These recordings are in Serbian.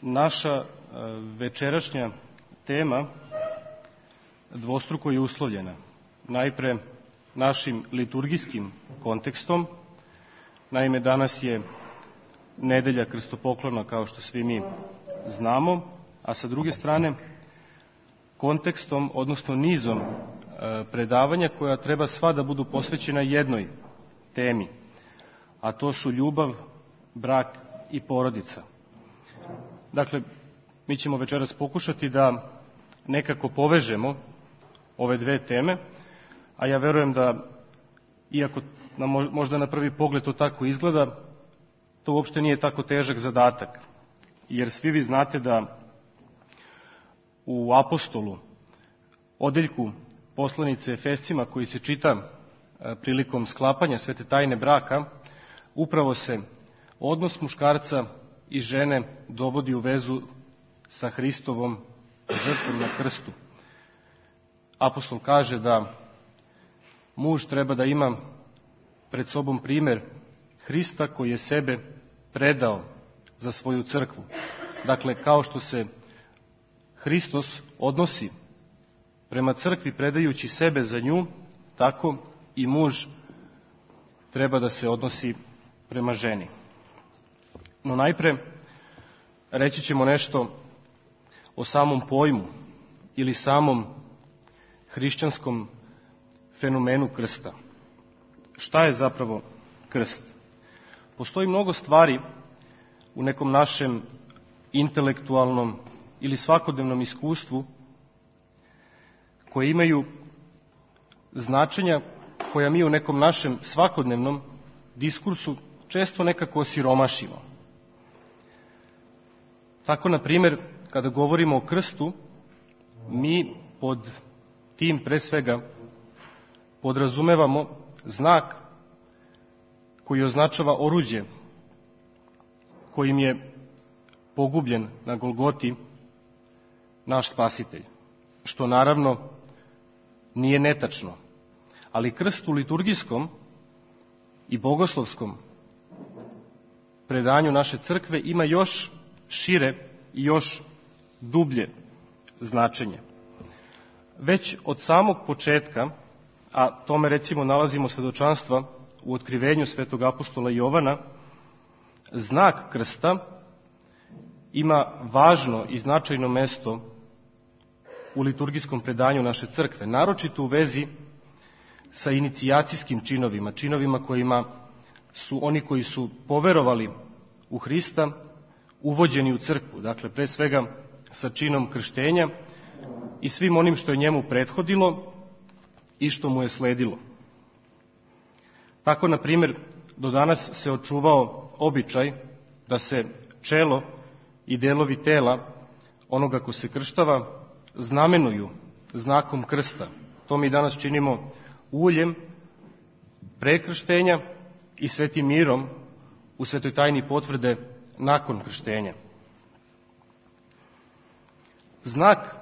Naša večerašnja tema dvostruko je uslovljena. Najpre našim liturgijskim kontekstom. Naime, danas je nedelja krstopoklona, kao što svi mi znamo, a sa druge strane kontekstom, odnosno nizom predavanja koja treba sva da budu posvećena jednoj temi, a to su ljubav, brak i porodica. Dakle, mi ćemo večeras pokušati da nekako povežemo ove dve teme, a ja verujem da, iako možda na prvi pogled to tako izgleda, to uopšte nije tako težak zadatak, jer svi vi znate da u Apostolu, odeljku poslanice Efescima koji se čita prilikom sklapanja svete tajne braka, upravo se odnos muškarca i žene dovodi u vezu sa Hristovom žrtvom na krstu. Apostol kaže da muž treba da ima pred sobom primer Hrista koji je sebe predao za svoju crkvu. Dakle, kao što se Hristos odnosi prema crkvi predajući sebe za nju, tako i muž treba da se odnosi prema ženi. No najpre reći ćemo nešto o samom pojmu ili samom hrišćanskom fenomenu krsta. Šta je zapravo krst? Postoji mnogo stvari u nekom našem intelektualnom ili svakodnevnom iskustvu koje imaju značenja koja mi u nekom našem svakodnevnom diskursu često nekako osiromašimo. Tako, na primjer, kada govorimo o krstu, mi pod tim pre svega podrazumevamo znak koji označava oruđe kojim je pogubljen na Golgoti naš Spasitelj, što naravno nije netačno. Ali krst u liturgijskom i bogoslovskom predanju naše crkve ima još šire i još dublje značenje. Već od samog početka, a tome recimo nalazimo svedočanstva u otkrivenju svetog apostola Jovana, znak krsta ima važno i značajno mesto u liturgijskom predanju naše crkve, naročito u vezi sa inicijacijskim činovima, činovima kojima su oni koji su poverovali u Hrista uvođeni u crkvu, dakle pre svega sa činom krštenja i svim onim što je njemu prethodilo i što mu je sledilo. Tako, na primjer, do danas se očuvao običaj da se čelo i delovi tela onoga ko se krštava znamenuju znakom krsta. To mi danas činimo uljem pre krštenja i svetim mirom u svetoj tajni potvrde nakon krštenja. Znak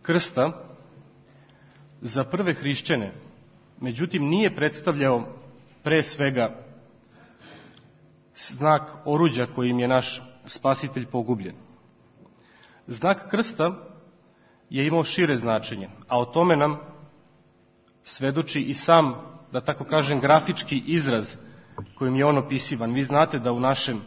krsta za prve hrišćane, međutim, nije predstavljao pre svega znak oruđa kojim je naš Spasitelj pogubljen. Znak krsta je imao šire značenje, a o tome nam svedoči i sam, da tako kažem, grafički izraz kojim je on opisivan. Vi znate da u našem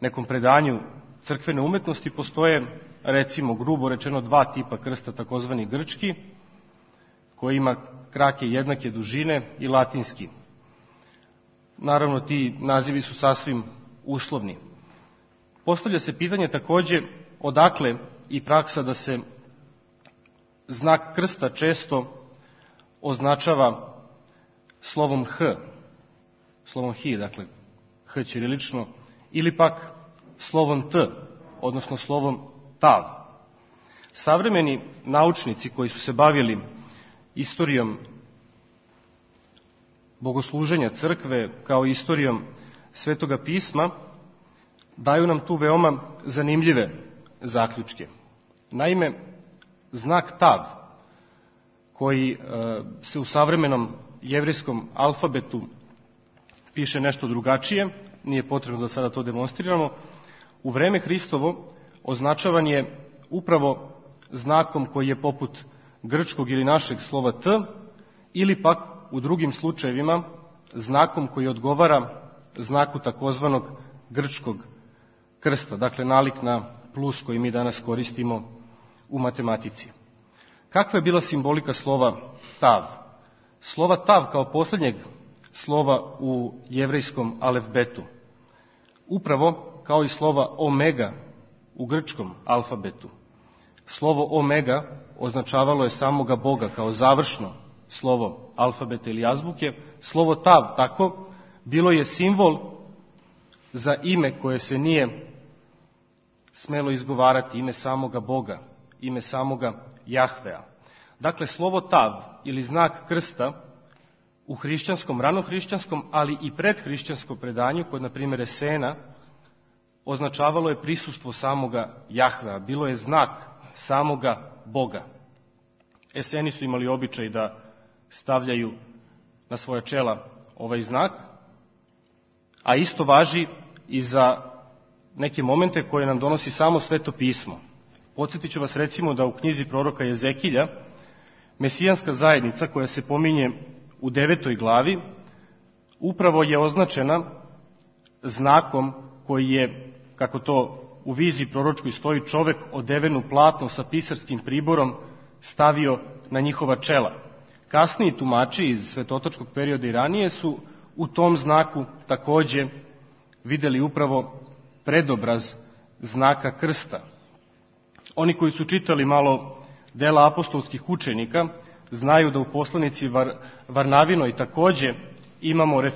nekom predanju crkvene umetnosti postoje, recimo, grubo rečeno, dva tipa krsta, takozvani grčki, koji ima krake jednake dužine, i latinski. Naravno, ti nazivi su sasvim uslovni. Postavlja se pitanje takođe odakle i praksa da se znak krsta često označava slovom H, slovom Hi, dakle H ćirilično, ili pak slovom T, odnosno slovom Tav. Savremeni naučnici koji su se bavili istorijom bogosluženja crkve kao istorijom Svetoga pisma daju nam tu veoma zanimljive zaključke. Naime, znak Tav, koji se u savremenom jevrejskom alfabetu piše nešto drugačije, nije potrebno da sada to demonstriramo, u vreme Hristovo označavan je upravo znakom koji je poput grčkog ili našeg slova T, ili pak u drugim slučajevima znakom koji odgovara znaku takozvanog grčkog krsta, dakle nalik na plus koji mi danas koristimo u matematici. Kakva je bila simbolika slova tav? Slova tav kao posljednjeg slova u jevrejskom alefbetu, upravo kao i slova omega u grčkom alfabetu. Slovo omega označavalo je samoga Boga kao završno slovo alfabeta ili azbuke. Slovo tav tako bilo je simbol za ime koje se nije smelo izgovarati, ime samoga Boga, ime samoga Jahvea. Dakle, slovo tav ili znak krsta u hrišćanskom, ranohrišćanskom, ali i predhrišćanskom predanju, kod na primjer Esena, označavalo je prisustvo samoga Jahvea, bilo je znak samoga Boga. Eseni su imali običaj da stavljaju na svoja čela ovaj znak, a isto važi i za neke momente koje nam donosi samo Sveto pismo. Podsjetit ću vas recimo da u knjizi proroka Jezekilja mesijanska zajednica koja se pominje u 9. glavi upravo je označena znakom koji je, kako to u viziji proročkoj stoji, čovek odeven u platno sa pisarskim priborom stavio na njihova čela. Kasniji tumači iz svetotočkog perioda i ranije su u tom znaku takođe videli upravo predobraz znaka krsta. Oni koji su čitali malo dela apostolskih učenika znaju da u poslanici Varnavinoj takođe imamo